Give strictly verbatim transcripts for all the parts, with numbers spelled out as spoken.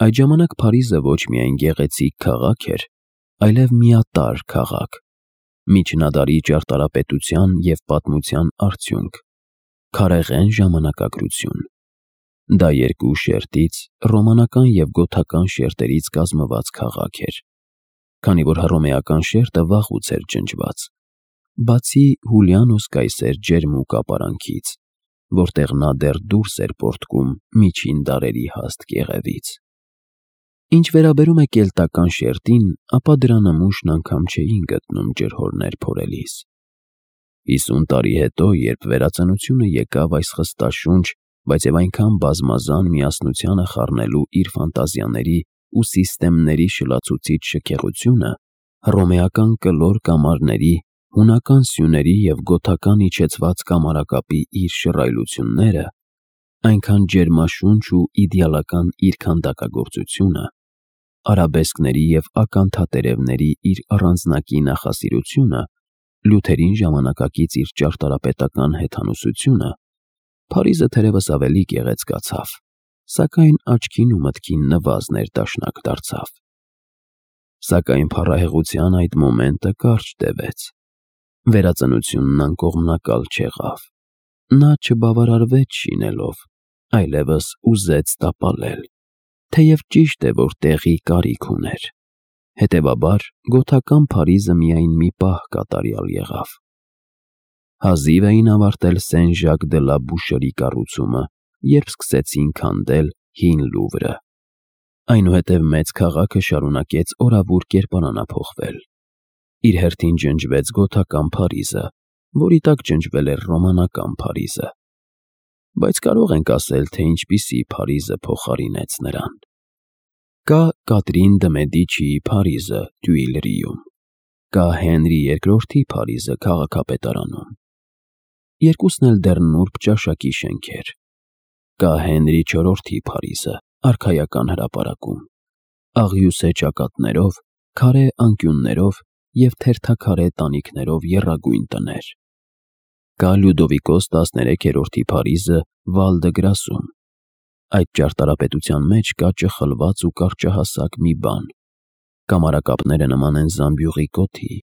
Այդ ժամանակ Փարիզը ոչ միայն գեղեցիկ քաղաք էր, այլև միատարր քաղաք, միջնադարի ճարտարապետության և պատմության արդյունք, քարեղեն ժամանակագրություն։ Դա երկու շերտից, ռոմանական և գոթական շերտերից կազմված քաղաք էր, քանի որ հռոմեական շերտը վաղուց էր ջնջված, բացի Հուլիանուս Կայսեր ջերմուկ ապարանքից, որտեղ նա դեռ դուրս էր պոռթկում միջին դարերի հաստ կեղևից։ Ինչ վերաբերում է կելտական շերտին, ապա դրա նմուշն անգամ չէին գտնում ջրհորներ փորելիս։ Հիսուն տարի հետո, երբ վերածնությունը եկավ այս խստաշունչ, բայց և այնքան բազմազան միասնությանը խառնելու իր ֆանտազիաների ու սիստեմների շլացուցիչ շքեղությունը, հռոմեական կլոր կամարների, հունական սյուների և գոթական իջեցված կամարակապի իր շռայլությունները, այնքան ջերմաշունչ ու իդեալական իր քանդակագործությունը, արաբեսկների և ականթատերևների իր առանձնակի նախասիրությունը, Լյութերին ժամանակակից իր ճարտարապետական հեթանոսությունը, Փարիզը թերևս ավելի գեղեցկացավ, սակայն աչքին ու մտքին նվազն էր դաշնակ դարձավ։ Սակայն փառահեղության այդ մոմենտը կարճ տևեց։ Վերածնությունն անկողմնակալ չեղավ։ Նա չբավարարվեց շինելով, այլևս ուզեց տապալել, թեև ճիշտ է, որ տեղի կարիք ուներ։ Հետևաբար, գոթական Փարիզը միայն մի պահ կատարյալ եղավ։ Հազիվ էին ավարտել Սեն-Ժակ դը լա Բուշերի կառուցումը, երբ սկսեցին քանդել Հին Լուվրը։ Այնուհետև մեծ քաղաքը շարունակեց օրավուր կերպարանափոխվել։ Իր հերթին ջնջվեց գոթական Փարիզը, որի տակ ջնջվել էր ռոմանական Փարիզը։ Բայց կարող ենք ասել, թե ինչպիսի Փարիզը փոխարինեց նրան։ Կա Կատրին դը Մեդիչիի Փարիզը Թյուիլրիում, կա Հենրի երկրորդի Փարիզը քաղաքապետարանում։ Երկուսն էլ դեռ նուրբ ճաշակի շենքեր։ Կա Հենրի չորրորդի Փարիզը արքայական հրապարակում, աղյուսե ճակատներով, քարե անկյուններով և թերթաքարե տանիքներով եռագույն տներ։ Կա Լյուդովիկոս տասներեքերորդի Փարիզը Վալ դը Գրասում։ Այդ ճարտարապետության մեջ կա ճխլված ու կարճահասակ մի բան։ Կամարակապները նման են զամբյուղի կոթի,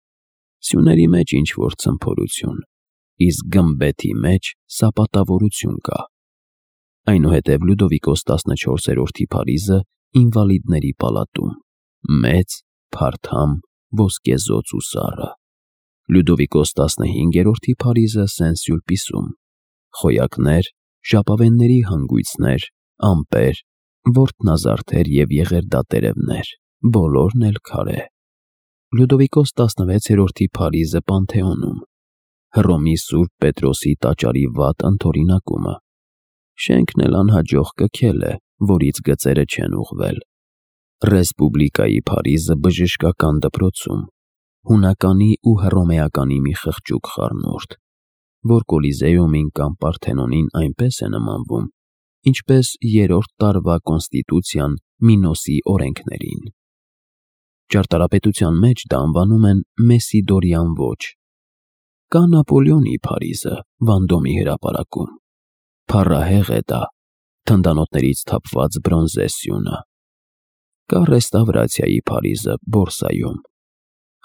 սյուների մեջ ինչ-որ ցմփորություն, իսկ գմբեթի մեջ սապատավորություն կա։ Այնուհետև Լյուդովիկոս տասնչորսերորդի Փարիզը Ինվալիդների պալատում, մեծ, փարթամ, ոսկեզոծ ու սառը։ Լյուդովիկոս տասնհինգերորդի Փարիզը Սեն-Սյուլպիսում, խոյակներ, ժապավենների հանգույցներ, ամպեր, որտնազարդեր և եղերդատերևներ, բոլորն էլ քարե։ Լյուդովիկոս տասնվեցերորդի Փարիզը Պանթեոնում, Հռոմի Սուրբ Պետրոսի տաճարի վատ ընդօրինակումը։ Շենքն էլ անհաջող կքել է, որից գծերը չեն ուղղվել։ Ռեսպուբլիկայի Փարիզը բժշկական դպրոցում, հունականի ու հռոմեականի մի խղճուկ խառնուրդ, որ Կոլիզեումին կամ Պարթենոնին այնպես է նմանվում, ինչպես երրորդ տարվա կոնստիտուցիան Մինոսի օրենքներին։ Ճարտարապետության մեջ դա անվանում են Մեսիդորյան ոճ։ Կա Նապոլեոնի Փարիզը Վանդոմի հրապարակում։ Փառահեղ է դա, թնդանոթներից թափված բրոնզե սյունը։ Կա Ռեստավրացիայի Փարիզը Բորսայում։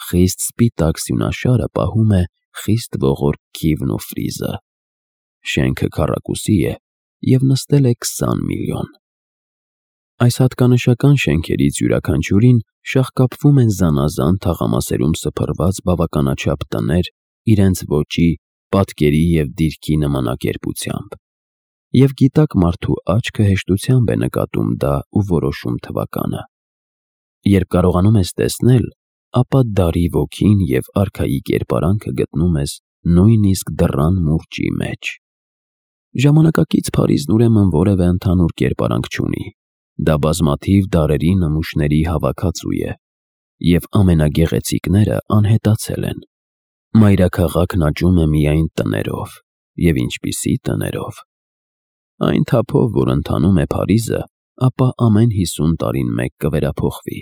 Խիստ սպիտակ սյունաշարը պահում է խիստ ողորկ քիվն ու ֆրիզը։ Շենքը քառակուսի է և նստել է քսան միլիոն։ Այս հատկանշական շենքերից յուրաքանչյուրին շաղկապվում են զանազան թաղամասերում սփռված բավականաչափ տներ իրենց ոճի, պատկերի և դիրքի նմանակերպությամբ, և գիտակ մարդու աչքը հեշտությամբ է նկատում դա ու որոշում թվականը։ Երբ կարողանում ես տեսնել, ապա դարի ոգին և արքայի կերպարանքը գտնում ես նույնիսկ դռան մուրճի մեջ։ Ժամանակակից Փարիզն ուրեմն որևէ ընդհանուր կերպարանք չունի, դա բազմաթիվ դարերի նմուշների հավաքածու է, և ամենագեղեցիկները անհետացել են։ Մայրաքաղաքն աճում է միայն տներով, և ինչպիսի տներով։ Այն թափով, որ ընթանում է Փարիզը, ապա ամեն հիսուն տարին մեկ կվերափոխվի։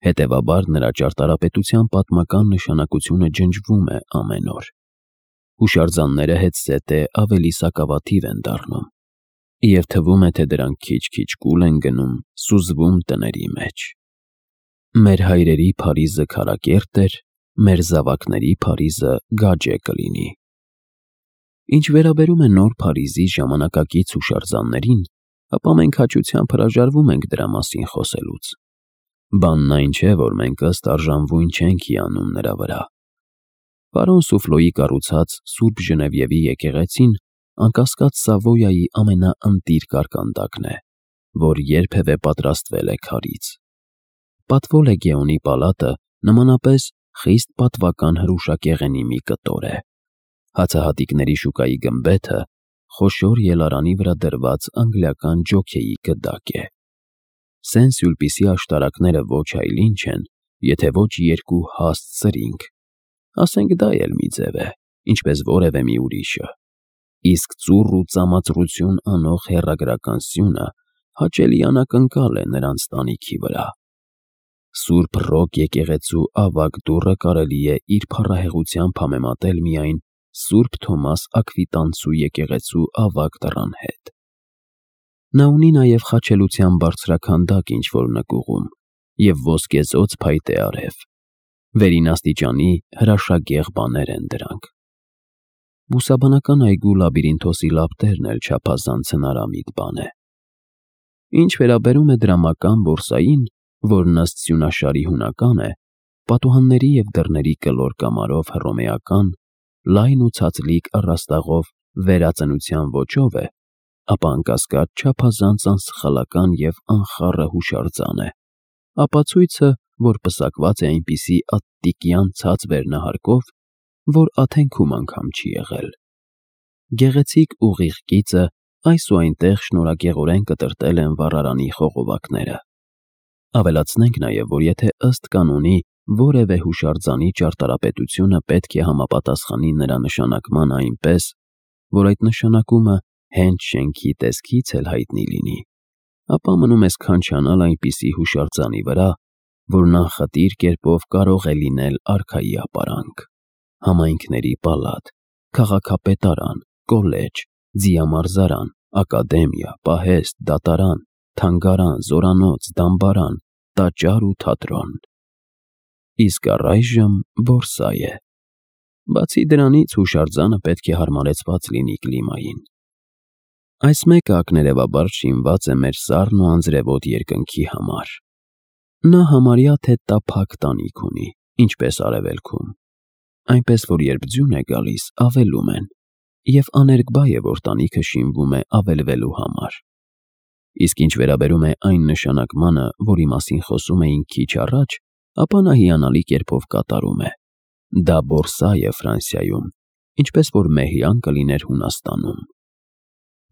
Հետևաբար նրա ճարտարապետության պատմական նշանակությունը ջնջվում է ամեն օր։ Հուշարձանները հետզհետե ավելի սակավաթիվ են դառնում։ Եվ թվում է, թե դրանք քիչ-քիչ կուլ են գնում, սուզվում տների մեջ։ Մեր հայրերի Փարիզը քարակերտ էր, մեր զավակների Փարիզը գաճե կլինի։ Ինչ վերաբերում է նոր Փարիզի ժամանակակից հուշարձաններին, ապա մենք հաճությամբ հրաժարվում ենք դրա մասին խոսելուց։ Բանն այն չէ, որ մենք ըստ արժանվույն չենք հիանում նրա վրա։ Պարոն Սուֆլոյի կառուցած Սուրբ Ժնևիևի եկեղեցին անկասկած Սավոյայի ամենաընտիր կարկանդակն է, որ երբևէ պատրաստվել է քարից։ Պատվո Լեգեոնի պալատը նմանապես խիստ պատվական հրուշակեղենի մի կտոր է։ Հացահատիկների շուկայի գմբեթը խոշոր ելարանի վրա դրված անգլիական ջոքեյի գդակ է։ Սեն-Սյուլպիսի աշտարակները ոչ այլ ինչ են, եթե ոչ երկու հաստ սրինգ, ասենք դա էլ մի ձև է, ինչպես որևէ մի ուրիշը, իսկ ծուռ ու ծամածրություն անող հեռագրական սյունը հաճելի անակնկալ է նրանց տանիքի վրա։ Սուրբ Ռոկ եկեղեցու ավագ դուռը կարելի է իր փառահեղությամբ համեմատել միայն Սուրբ Թոմաս Աքվիտանցու եկեղեցու ավագ դռան հետ։ Նա ունի նաև խաչելության բարձրաքանդակ ինչ-որ նկուղում և ոսկեզօծ փայտե արև։ Վերին աստիճանի հրաշագեղ բաներ են դրանք։ Բուսաբանական այգու լաբիրինթոսի լապտերն էլ չափազանց հնարամիտ բան է։ Ինչ վերաբերում է դրամական բորսային, որն ըստ սյունաշարի հունական է, պատուհանների և դռների կլոր կամարով հռոմեական, լայն ու ցածլիկ առաստաղով վերածնության ոճով է, ապա անկասկած չափազանց անսխալական և անխառը հուշարձան է, ապացույցը, որ պսակված է այնպիսի ատտիկյան ցած վերնահարկով, որ Աթենքում անգամ չի եղել։ Գեղեցիկ ուղիղ կիծը այս ու այնտեղ շնորհակեղորեն կտրտել են վառարանի խողովակները։ Ավելացնենք նաև, որ եթե ըստ կանոնի որևէ հուշարձանի ճարտարապետությունը պետք է համապատասխանի նրա նշանակմանը այնպես, որ այդ նշանակումը հենց շենքի տեսքից էլ հայտնի լինի, ապա մնում է սքանչանալ այնպիսի հուշարձանի վրա, որն անխտիր կերպով կարող է լինել արքայի ապարանք, համայնքների պալատ, քաղաքապետարան, կոլեջ, ձիամարզարան, ակադեմիա, պահեստ, դատարան, թանգարան, զորանոց, դամբարան, տաճար ու թատրոն։ Իսկ առայժմ բորսա է։ Բացի դրանից հուշարձանը պետք է հարմարեցված լինի կլիմային։ Այս մեկը ակներևաբար շինված է մեր սառն ու անձրևոտ երկնքի համար։ Նա համարյա թե տափակ տանիք ունի, ինչպես արևելքում, այնպես որ երբ ձյուն է գալիս, ավելում են, և աներկբա է, որ տանիքը շինվում է ավելվելու համար։ Իսկ ինչ վերաբերում է այն նշանակմանը, որի մասին խոսում էինք քիչ առաջ, ապա նա հիանալի կերպով կատարում է։ Դա բորսա է Ֆրանսիայում, ինչպես որ մեհյան կլիներ Հունաստանում։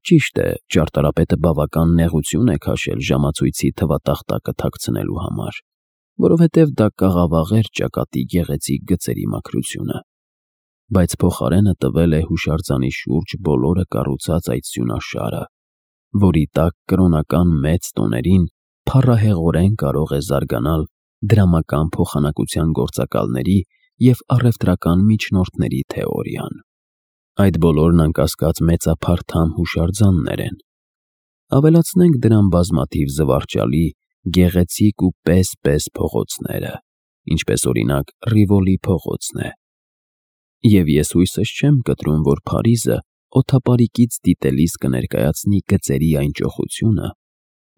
Ճիշտ է, ճարտարապետը բավական նեղություն է քաշել ժամացույցի թվատախտակը թաքցնելու համար, որովհետև դա կաղավաղեր ճակատի գեղեցիկ գծերի մաքրությունը, բայց փոխարենը տվել է հուշարձանի շուրջ բոլորը կառուցած այդ սյունաշարը, որի տակ կրոնական մեծ տոներին փառահեղորեն կարող է զարգանալ դրամական փոխանակության գործակալների և առևտրական միջնորդների թեորիան։ Այդ բոլորն անկասկած մեծափառ հուշարձաններ են։ Ավելացնենք դրան բազմաթիվ զվարճալի, գեղեցիկ ու պես-պես փողոցները, ինչպես օրինակ Ռիվոլի փողոցն է։ Եվ ես հույսս չեմ կտրում, որ Փարիզը օդապարիկից դիտելիս կներկայացնի գծերի այն ճոխությունը,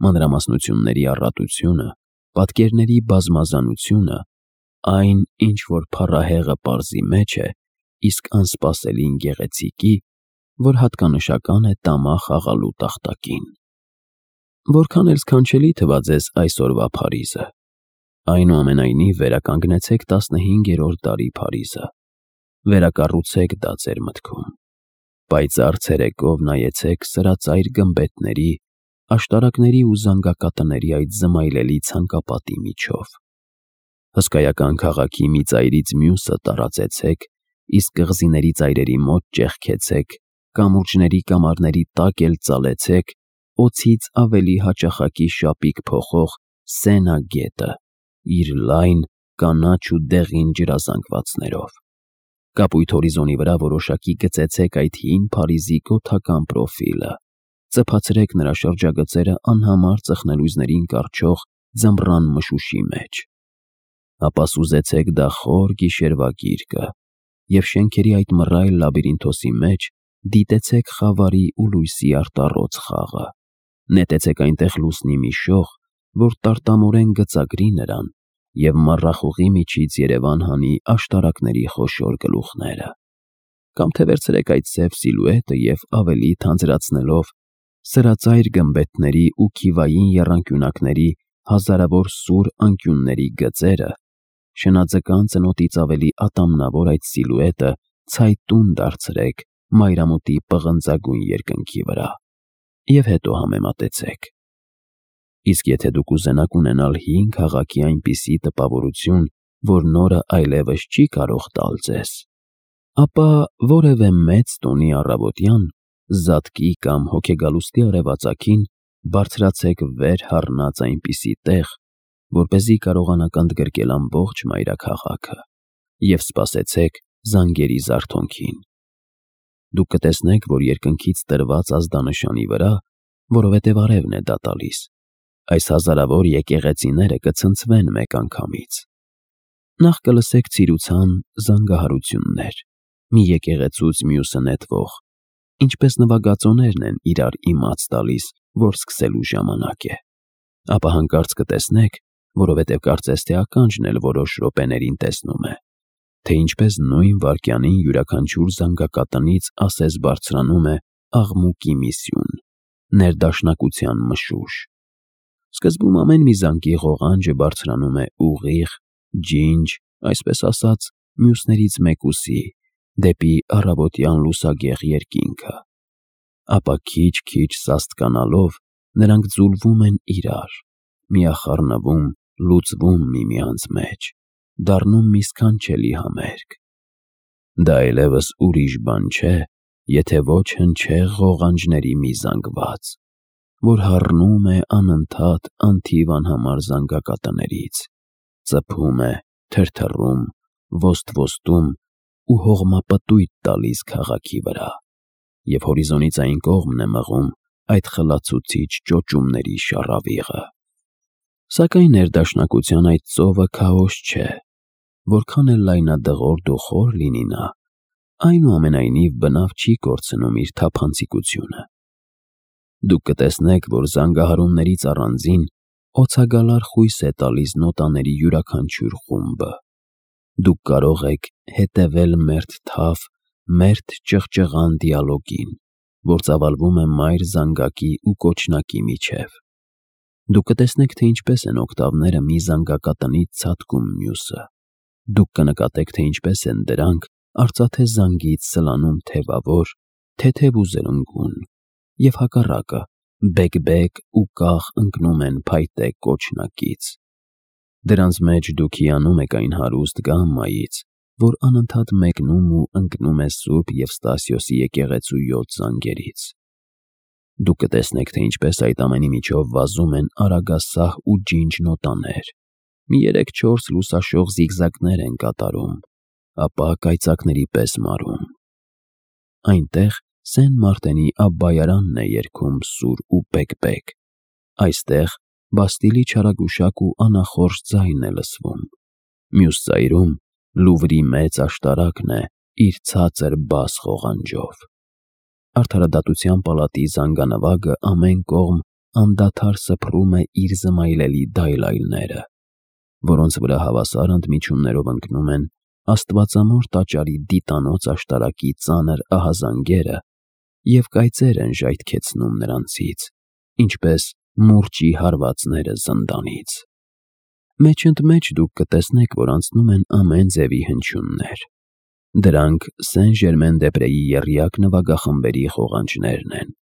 մանրամասնությունների առատությունը, պատկերների բազմազանությունը, այն, ինչ որ փառահեղը պարզի մեջ է, իսկ անսպասելին գեղեցիկի, որ հատկանշական է տամա խաղալու տախտակին։ Որքան էլ սքանչելի թվա ձեզ այսօրվա Փարիզը, այնուամենայնիվ վերականգնեցեք տասնհինգերորդ դարի Փարիզը, վերակառուցեք դա ձեր մտքում, պայծառ ցերեկով նայեցեք սրածայր գմբեթների, աշտարակների ու զանգակատների այդ զմայլելի ցանկապատի միջով։ Հսկայական քաղաքի մի ծայրից մյուսը տարածեցեք, իսկ կղզիների ծայրերի մոտ ճեղքեցեք, կամուրջների կամարների տակ էլ ծալեցեք օձից ավելի հաճախակի շապիկ փոխող Սենա գետը իր լայն, կանաչ ու դեղին ջրազանգվածներով։ Կապույտ հորիզոնի վրա որոշակի գծեցեք այդ հին Փարիզի գոթական պրոֆիլը, Ծփացրեք նրա շրջագծերը անհամար ծխնելույզներին կառչող ձմռան մշուշի մեջ։ Ապա սուզեցեք դա խոր գիշերվա գիրկը և շենքերի այդ մռայլ լաբիրինթոսի մեջ դիտեցեք խավարի ու լույսի արտառոց խաղը, նետեցեք այնտեղ լուսնի մի շող, որ տարտամորեն գծագրի նրան և մառախուղի միջից երևան հանի աշտարակների խոշոր գլուխները, կամ թե վերցրեք այդ սև սիլուետը և ավելի թանձրացնելով սրածայր գմբեթների ու քիվային եռանկյունակների հազարավոր սուր անկյունների գծերը, շնաձկան ծնոտից ավելի ատամնավոր այդ սիլուետը ցայտուն դարձրեք մայրամուտի պղնձագույն երկնքի վրա և հետո համեմատեցեք։ Իսկ եթե դուք ուզենաք ունենալ հին քաղաքի այնպիսի տպավորություն, որ նորը այլևս չի կարող տալ ձեզ, ապա որևէ մեծ տոնի առավոտյան, զատկի կամ հոգեգալուստի արևածագին բարձրացեք վեր հառնած այնպիսի տեղ, որպեսզի կարողանաք ընդգրկել ամբողջ մայրաքաղաքը, և սպասեցեք զանգերի զարթոնքին։ Դուք կտեսնեք, որ երկնքից տրված ազդանշանի վրա, որովհետև արևն է դա տալիս, այս հազարավոր եկեղեցիները կցնցվեն մեկ անգամից։ Նախ կլսեք ցիրուցան զանգահարություններ, մի եկեղեցուց մյուսը նետվող, ինչպես նվագածոներն են իրար իմաց տալիս, որ սկսելու ժամանակ է։ Ապա հանկարծ կտեսնեք, որովհետև կարծես թե ականջն էլ որոշ րոպեներին տեսնում է, թե ինչպես նույն վայրկյանին յուրաքանչյուր զանգակատնից ասես բարձրանում է աղմուկի մի սյուն, ներդաշնակության մշուշ։ Սկզբում ամեն մի զանգի ղողանջը բարձրանում է ուղիղ, ջինջ, այսպես ասած, մյուսներից մեկուսի, դեպի առավոտյան լուսագեղ երկինքը։ Ապա քիչ-քիչ սաստկանալով նրանք ձուլվում են իրար, միախառնվում, լուծվում միմյանց մեջ, դառնում մի սքանչելի համերգ։ Դա այլևս ուրիշ բան չէ, եթե ոչ հնչեղ ղողանջների մի զանգված, որ հառնում է անընդհատ անթիվ անհամար զանգակատներից, ծփում է, թրթռում, ոսթ-ոսթում ու հողմապտույտ տալիս քաղաքի վրա, և հորիզոնից այն կողմն է մղում այդ խլացուցիչ ճոճումների շառավիղը։ Սակայն ներդաշնակության այդ ծովը քաոս չէ, որքան էլ լայնադղրդ ու խոր լինի նա, այնուամենայնիվ բնավ չի կորցնում իր թափանցիկությունը։ Դուք կտեսնեք, որ զանգահարումներից առանձին օցագալար խույս է տալիս նոտաների յուրաքանչյուր խումբը։ Դուք կարող եք հետևել մերթ թավ, մերթ ճղճղան դիալոգին, որ ծավալվում է մայր զանգակի ու կոչնակի միջև։ Դուք կտեսնեք, թե ինչպես են օկտավները մի զանգակատնից ցատկում մյուսը։ Դուք կնկատեք, թե ինչպես են դրանք արծաթե զանգից սլանում թևավոր, թեթև ու զրնգուն, և հակառակը բեկ-բեկ ու կախ ընկնում են փայտե կոչնակից։ Դրանց մեջ դուք հիանում եք այն հարուստ գամմայից, որ անընդհատ մեկնում ու ընկնում է Սուրբ Եվստասիոսի եկեղեցու յոթ զանգերից։ Դուք կտեսնեք, թե ինչպես այդ ամենի միջով վազում են արագասահ ու ջինջ նոտաներ, մի երեք-չորս լուսաշող զիգզագներ են կատարում, ապա կայծակների պես մարում։ Այնտեղ Սեն Մարտենի Աբբայարանն է երգում սուր ու բեկ-բեկ, այստեղ Բաստիլի չարագուշակ ու անախորժ ձայն է լսվում, մյուս ծայրում Լուվրի մեծ աշտարակն է իր ցածր բաս ղողանջով։ Արդարադատության պալատի զանգանվագը ամեն կողմ անդադար սփռում է իր զմայլելի դայլայլները, որոնց վրա հավասար ընդմիջումներով ընկնում են աստվածամոր տաճարի դիտանոց աշտարակի ծանր ահազանգերը և կայծեր են ժայթքեցնում նրանցից, ինչպես մուրճի հարվածները զնդանից։ Մեջ-ընդ-մեջ դուք կտեսնեք, որ անցնում են ամեն ձևի հնչյուններ։ Դրանք Սեն Ժերմեն-դե-Պրեի եռյակ նվագախմբերի ղողանջներն են։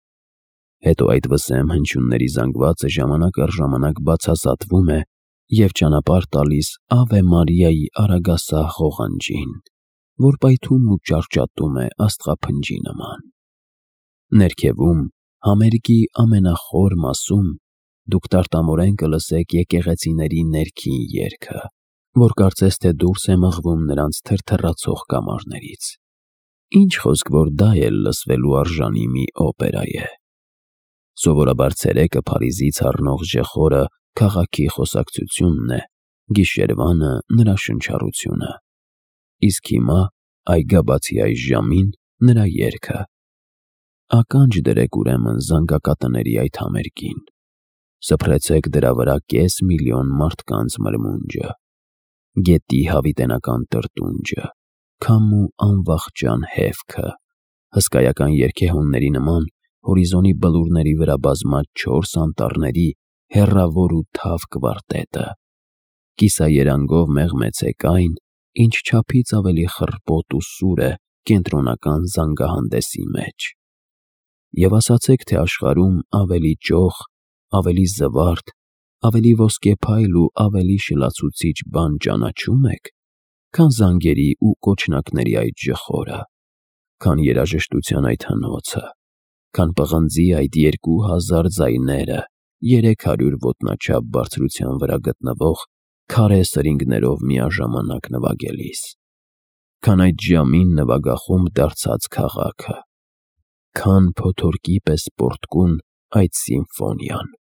Հետո այդ վսեմ հնչյունների զանգվածը ժամանակ առ ժամանակ բացազատվում է և ճանապարհ տալիս Ավե Մարիայի արագասահ ղողանջին, որ պայթում ու ճարճատում է աստղափնջի նման։ Ներքևում, համերգի ամենախոր մասում, դուք տարտամորեն կլսեք եկեղեցիների ներքին երգը, որ կարծես թե դուրս է մղվում նրանց թրթռացող կամարներից։ Ինչ խոսք, որ դա էլ լսվելու արժանի մի օպերա է։ Սովորաբար ցերեկը Փարիզից առնող ժխորը քաղաքի խոսակցությունն է, գիշերվանը նրա շնչառությունը, իսկ հիմա այգաբացի այս ժամին նրա երգը։ Ականջ դրեք ուրեմն զանգակատների այդ համերգին, սփռեցեք դրա վրա կես միլիոն մարդկանց մրմունջը, գետի հավիտենական տրտունջը, քամու անվախճան հևքը, հսկայական երգեհոնների նման հորիզոնի բլուրների վրա բազմած չորս անտառների հեռավոր ու թավ կվարտետը, կիսաերանգով մեղմեցեք այն, ինչ չափից ավելի խռպոտ ու սուր է կենտրոնական զանգահանդեսի մեջ, և ասացեք, թե աշխարհում ավելի ճոխ, ավելի զվարթ, ավելի ոսկեփայլ ու ավելի շլացուցիչ բան ճանաչո՞ւմ եք, քան զանգերի ու կոչնակների այդ ժխորը, քան երաժշտության այդ հնոցը, քան պղնձի այդ երկու հազար ձայները երեք հարյուր ոտնաչափ բարձրության վրա գտնվող քարե սրինգներով միաժամանակ նվագելիս, քան այդ ժամին նվագախումբ դարձած քաղաքը, քան փոթորկի պես պոռթկուն այդ սիմֆոնիան։